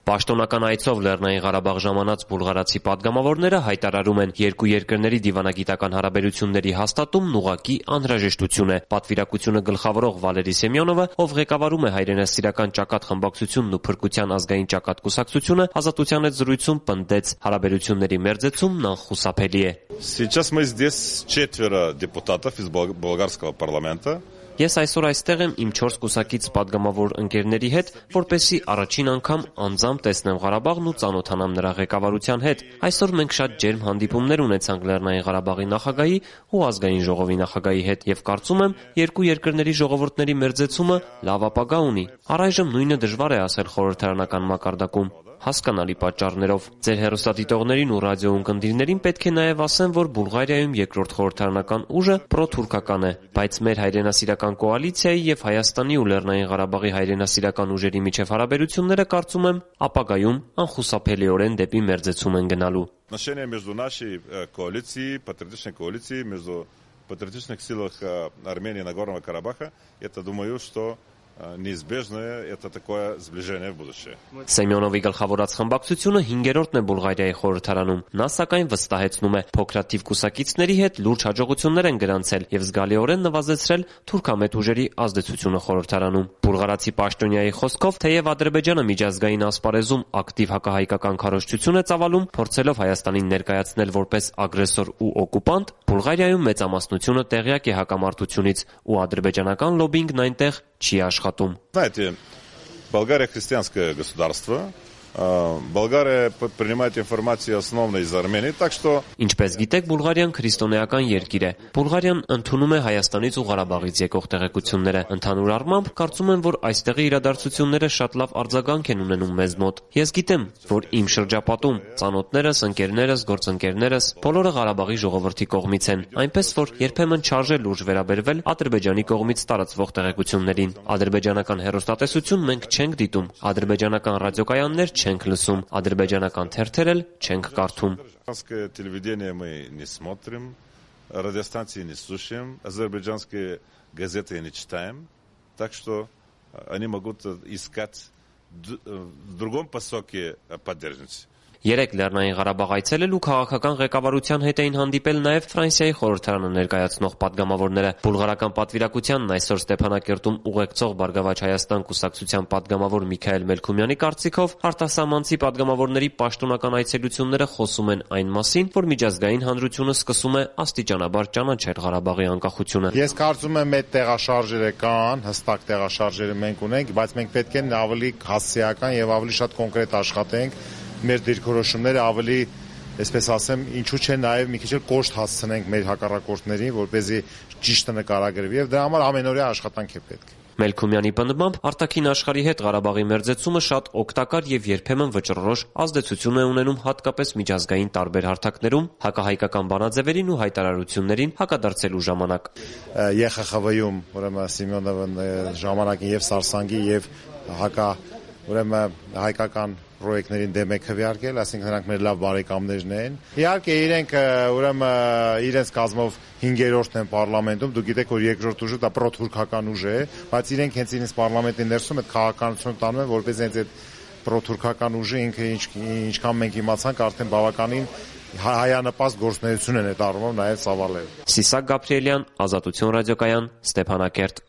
Պաշտոնական այցով Լեռնային Ղարաբաղ ժամանած բուլղարացի պատգամավորները հայտարարում են, երկու երկրների դիվանագիտական հարաբերությունների հաստատումն ուղղակի անհրաժեշտություն է։ Պատվիրակությունը գլխավորող Վալերի Սեմյոնովը, ով ղեկավարում է հայրենասիրական ճակատ խմբակցությունն ու Փրկության ազգային ճակատ կուսակցությունը, Ազատության հետ զրույցում պնդեց, հարաբերությունների մերձեցումն անխուսափելի է։ Сейчас мы здесь 4 депутатов из болгарского парламента. Ես այսօր այստեղ եմ իմ 4 կուսակից պատգամավոր ընկերների հետ, որպեսզի առաջին անգամ անձամբ տեսնեմ Ղարաբաղն ու ծանոթանամ նրա ղեկավարության հետ։ Այսօր մենք շատ ջերմ հանդիպումներ ունեցանք Լեռնային Ղարաբաղի նախագահի ու ազգային ժողովի նախագահի հետ եւ կարծում եմ, երկու երկրների ժողովուրդների մերձեցումը լավ ապագա ունի։ Առայժմ նույնը դժվար է ասել խորհրդարանական մակարդակում։ Հասկանալի պատճառներով։ Ձեր հեռուստադիտողներին ու ռադիոընկերներին պետք է նաև ասեմ, որ Բուլղարիայում երկրորդ խորհրդարանական ուժը պրոթուրքական է, բայց մեր հայրենասիրական կոալիցիայի եւ Հայաստանի ու Լեռնային Ղարաբաղի հայրենասիրական ուժերի միջև հարաբերությունները, կարծում եմ, ապագայում անխուսափելիորեն депի մերձեցում են гналу. Отношения между нашей коалицией, патриотичной коалицией, между патриотичных силах Армении и Нагорного Карабаха, это, думаю, что неизбежное это такое сближение в будущее. Սեմյոնովի գլխավորած խմբակցությունը 5-րդն է Բուլղարիայի խորհրդարանում։ Նա սակայն վստահեցնում է, փոքրաթիվ կուսակիցների հետ լուրջ հաջողություններ են գրանցել եւ զգալիորեն նվազեցրել թուրքամետ ուժերի ազդեցությունը խորհրդարանում։ Բուլղարացի պաշտոնյայի խոսքով, թեև Ադրբեջանը միջազգային ասպարեզում ակտիվ հակահայկական քարոզչություն է ծավալում, փորձելով Հայաստանին ներկայացնել որպես ագրեսոր ու օկուպանտ, Բուլղարիայում մեծամասնությունը տեղյակ է հակամարտությունից ու ադրբեջանական լոբինգն այնտեղ չի աշխատում։ Знаете, Болгария христианское государство. Болгария принимает информацию основно из Армении, так что Ինչպես գիտեք, Բուլղարիան քրիստոնեական երկիր է։ Բուլղարիան ընդունում է Հայաստանից ու Ղարաբաղից եկող տեղեկությունները։ Ընդհանուր առմամբ, կարծում եմ, որ այստեղի իրադարձությունները շատ լավ արձագանք են ունենում մեզ մոտ։ Ես գիտեմ, որ իմ շրջապատում ծանոթներս, ընկերներս, գործընկերներս բոլորը Ղարաբաղի ժողովրդի կողմից են, այնպես որ երբեմն չարժե լուրջ վերաբերվել Ադրբեջանի կողմից տարածվող տեղեկություններին։ Ադրբեջանական հեռուստատեսություն մենք չենք դիտում, ադրբեջանական ռադիոկայաններ չենք լսում, ադրբեջանական թերթեր էլ չենք կարդում։ азербайджанское телевидение мы не смотрим, радиостанции не слушаем, азербайджанские газеты не читаем, так что они могут искать в другом посоке поддержки. Երեք Լեռնային Ղարաբաղ այցելել ու քաղաքական ղեկավարության հետ էին հանդիպել նաև Ֆրանսիայի խորհրդարանը ներկայացնող պատգամավորները։ Բուլղարական պատվիրակությանն այսօր Ստեփանակերտում ուղեկցող Բարգավաճ Հայաստան կուսակցության պատգամավոր Միքայել Մելքումյանի կարծիքով արտասահմանցի պատգամավորների պաշտոնական այցելությունները խոսում են այն մասին, որ միջազգային հանրությունը սկսում է աստիճանաբար ճանաչել Ղարաբաղի անկախությունը։ Ես կարծում եմ, այդ տեղաշարժերը կան, հստակ տեղաշարժերը մենք ունենք, բայց մենք պետք է ավելի հասցեական եւ ավելի շատ կոնկրետ աշխատենք։ Մեր դիրքորոշումները ավելի, այսպես ասեմ, ինչու՞ չէ նաև մի քիչ էլ կոշտ հասցնենք մեր հակառակորդներին, որպեսզի ճիշտը նկարագրվի եւ դրա համար ամենօրյա աշխատանք է պետք։ Մելքումյանի պնդմամբ արտաքին աշխարհի հետ Ղարաբաղի մերձեցումը շատ օգտակար եւ երբեմն վճռորոշ ազդեցություն է ունենում հատկապես միջազգային տարբեր հարթակներում հակահայկական բանաձևերին ու հայտարարություններին հակադարձելու ժամանակ։ ԵԽԽՎ-ում ուրեմն Սիմոնովը ժամանակին եւ Սարսանգի եւ ուրեմն հայկական պրոյեկտներին դեմ է քվեարկել, այսինքն նրանք մեր լավ բարեկամներն են։ Իհարկե իրենք ուրեմն իրենց կազմով 5-րդն են պարլամենտում, դուք գիտեք, որ երկրորդ ուժը դա պրոթուրքական ուժ է, բայց իրենք հենց իրենց պարլամենտի ներսում այդ քաղաքականությունը տանում են, որպես հենց այդ պրոթուրքական ուժը ինքը ինչքան մենք իմացանք, արդեն բավականին հայանպաստ գործունեություն են այդ առումով նաև ծավալել։ Սիսակ Գաբրիելյան, Ազատություն ռադիոկայան, Ստեփանակերտ։